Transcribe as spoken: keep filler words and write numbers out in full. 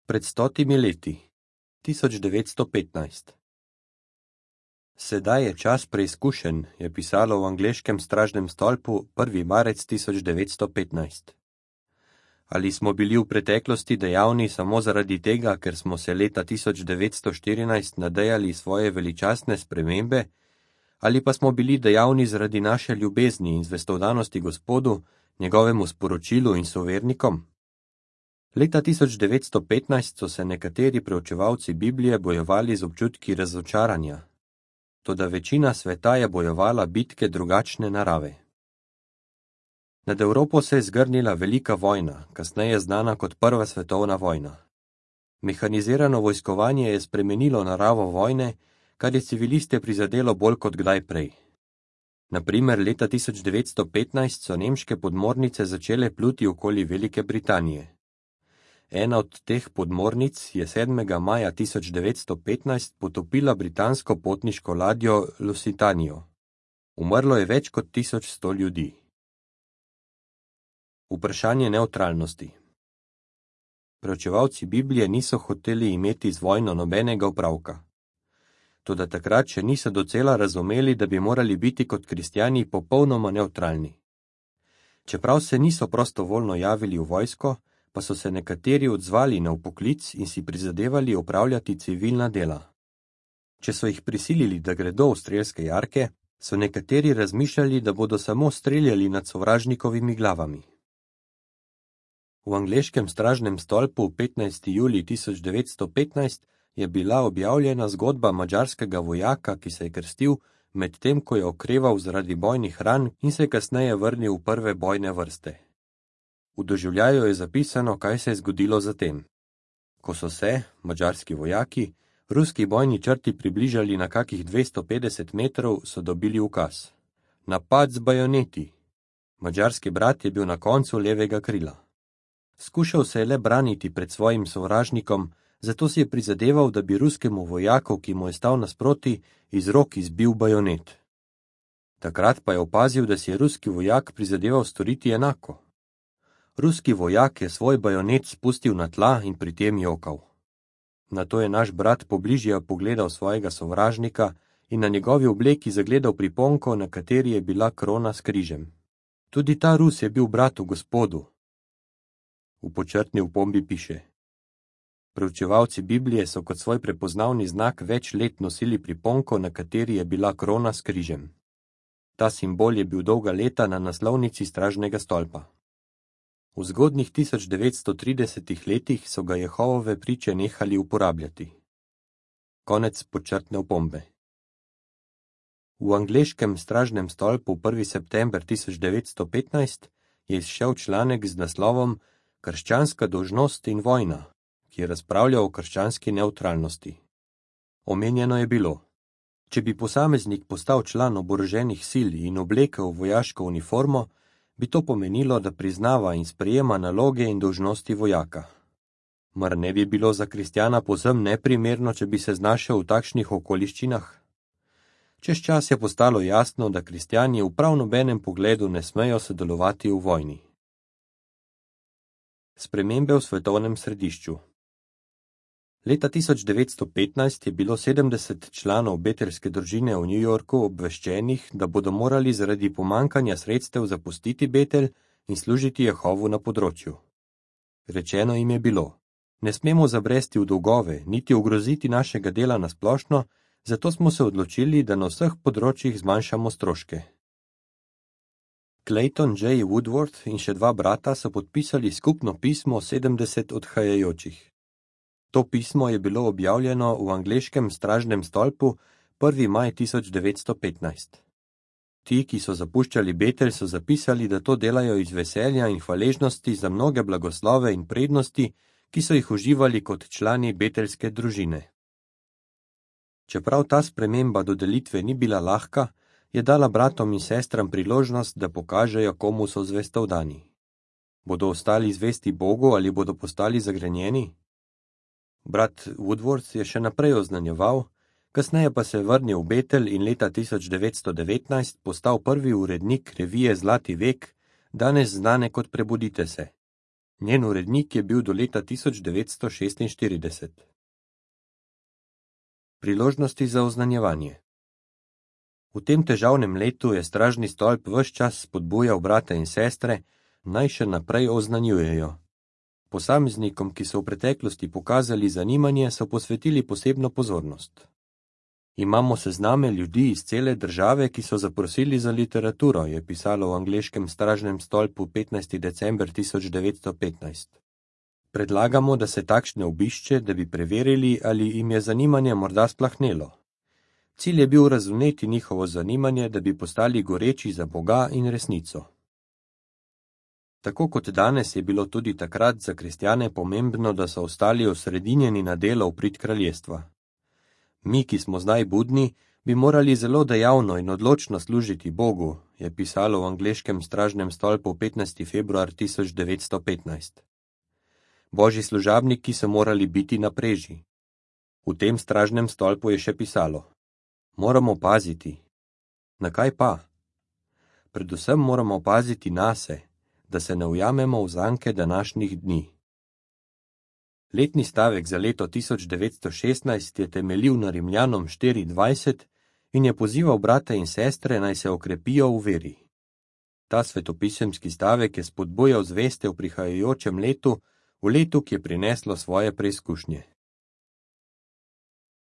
Pred stotimi leti, tisoč devetsto petnajst. Sedaj je čas preizkušenj, je pisalo v angleškem stražnem stolpu prvi marec tisoč devetsto petnajst. Ali smo bili v preteklosti dejavni samo zaradi tega, ker smo se leta tisoč devetsto štirinajst nadejali svoje veličastne spremembe, ali pa smo bili dejavni zaradi naše ljubezni in zvestovannosti Gospodu, njegovemu sporočilu in sovernikom? Leta tisoč devetsto petnajst so se nekateri preučevalci Biblije bojevali z občutki razočaranja. Toda večina sveta je bojevala bitke drugačne narave. Nad Evropo se je zgrnila velika vojna, kasneje znana kot Prva svetovna vojna. Mehanizirano vojskovanje je spremenilo naravo vojne, kar je civiliste prizadelo bolj kot kdaj prej. Na primer, leta tisoč devetsto petnajst so nemške podmornice začele pluti okoli Velike Britanije. Ena od teh podmornic je sedmega maja tisoč devetsto petnajst potopila britansko potniško ladjo Lusitanijo. Umrlo je več kot tisoč sto ljudi. Vprašanje nevtralnosti. Preučevalci Biblije niso hoteli imeti z vojno nobenega opravka. Toda takrat še niso docela razumeli, da bi morali biti kot kristjani popolnoma nevtralni. Čeprav se niso prostovoljno javili v vojsko, pa so se nekateri odzvali na vpoklic in si prizadevali opravljati civilna dela. Če so jih prisilili, da gredo v strelske jarke, so nekateri razmišljali, da bodo samo streljali nad sovražnikovimi glavami. V angleškem stražnem stolpu petnajsti julij tisoč devetsto petnajst je bila objavljena zgodba madžarskega vojaka, ki se je krstil, medtem ko je okreval zaradi bojnih ran in se je kasneje vrnil v prve bojne vrste. V doživljaju je zapisano, kaj se je zgodilo zatem. Ko so se, madžarski vojaki, ruski bojni črti približali na kakih dvesto petdeset metrov, so dobili ukaz. Napad z bajoneti. Madžarski brat je bil na koncu levega krila. Skušal se je le braniti pred svojim sovražnikom, zato si je prizadeval, da bi ruskemu vojaku, ki mu je stal nasproti, iz rok izbil bajonet. Takrat pa je opazil, da si je ruski vojak prizadeval storiti enako. Ruski vojak je svoj bajonet spustil na tla in pri tem jokal. Nato je naš brat pobližje pogledal svojega sovražnika in na njegovi obleki zagledal priponko, na kateri je bila krona s križem. Tudi ta Rus je bil brat v Gospodu. V počrtni opombi piše: Preučevalci Biblije so kot svoj prepoznavni znak več let nosili priponko, na kateri je bila krona s križem. Ta simbol je bil dolga leta na naslovnici stražnega stolpa. V zgodnjih tisoč devetsto tridesetih letih so ga Jehovove priče nehali uporabljati. Konec počrtne opombe. V angleškem stražnem stolpu prvi september tisoč devetsto petnajst je izšel članek z naslovom Krščanska dolžnost in vojna, ki je razpravljal o krščanski nevtralnosti. Omenjeno je bilo: če bi posameznik postal član oboroženih sil in oblekel vojaško uniformo, bi to pomenilo, da priznava in sprejema naloge in dolžnosti vojaka. Mar ne bi bilo za kristjana povsem neprimerno, če bi se znašel v takšnih okoliščinah? Čez čas je postalo jasno, da kristjani v prav nobenem pogledu ne smejo sodelovati v vojni. Spremembe v svetovnem središču. Leta tisoč devetsto petnajst je bilo sedemdeset članov betelske družine v New Yorku obveščenih, da bodo morali zaradi pomankanja sredstev zapustiti Betel in služiti Jehovu na področju. Rečeno jim je bilo: ne smemo zabresti v dolgove, niti ogroziti našega dela na splošno, zato smo se odločili, da na vseh področjih zmanjšamo stroške. Clayton J. Woodworth in še dva brata so podpisali skupno pismo sedemdeset odhajajočih. To pismo je bilo objavljeno v angleškem stražnem stolpu prvi maj tisoč devetsto petnajst. Ti, ki so zapuščali Betel, so zapisali, da to delajo iz veselja in hvaležnosti za mnoge blagoslove in prednosti, ki so jih uživali kot člani betelske družine. Čeprav ta sprememba dodelitve ni bila lahka, je dala bratom in sestram priložnost, da pokažejo, komu so zvestovdani. Bodo ostali zvesti Bogu ali bodo postali zagrenjeni? Brat Woodworth je še naprej oznanjeval, kasneje pa se je vrnil v Betel in leta tisoč devetsto devetnajst postal prvi urednik revije Zlati vek, danes znane kot Prebudite se. Njen urednik je bil do leta tisoč devetsto šestinštirideset. Priložnosti za oznanjevanje. V tem težavnem letu je stražni stolp ves čas spodbujal brate in sestre, naj še naprej oznanjujejo. Posameznikom, ki so v preteklosti pokazali zanimanje, so posvetili posebno pozornost. Imamo sezname ljudi iz cele države, ki so zaprosili za literaturo, je pisalo v angleškem stražnem stolpu petnajstega decembra tisoč devetsto petnajst. Predlagamo, da se takšne obišče, da bi preverili, ali jim je zanimanje morda splahnelo. Cilj je bil razumeti njihovo zanimanje, da bi postali goreči za Boga in resnico. Tako kot danes je bilo tudi takrat za kristjane pomembno, da so ostali osredinjeni na delo v prid kraljestva. Mi, ki smo zdaj budni, bi morali zelo dejavno in odločno služiti Bogu, je pisalo v angleškem stražnem stolpu petnajstega februarja tisoč devetsto petnajst. Božji služabniki so morali biti na preži. V tem stražnem stolpu je še pisalo: moramo paziti. Na kaj pa? Predvsem moramo paziti nase, da se ne ujamemo v zanke današnjih dni. Letni stavek za leto tisoč devetsto šestnajst je temeljil na Rimljanom štiri dvajset in je pozival brate in sestre, naj se okrepijo v veri. Ta svetopisemski stavek je spodbujal zveste v prihajajočem letu, v letu, ki je prineslo svoje preizkušnje.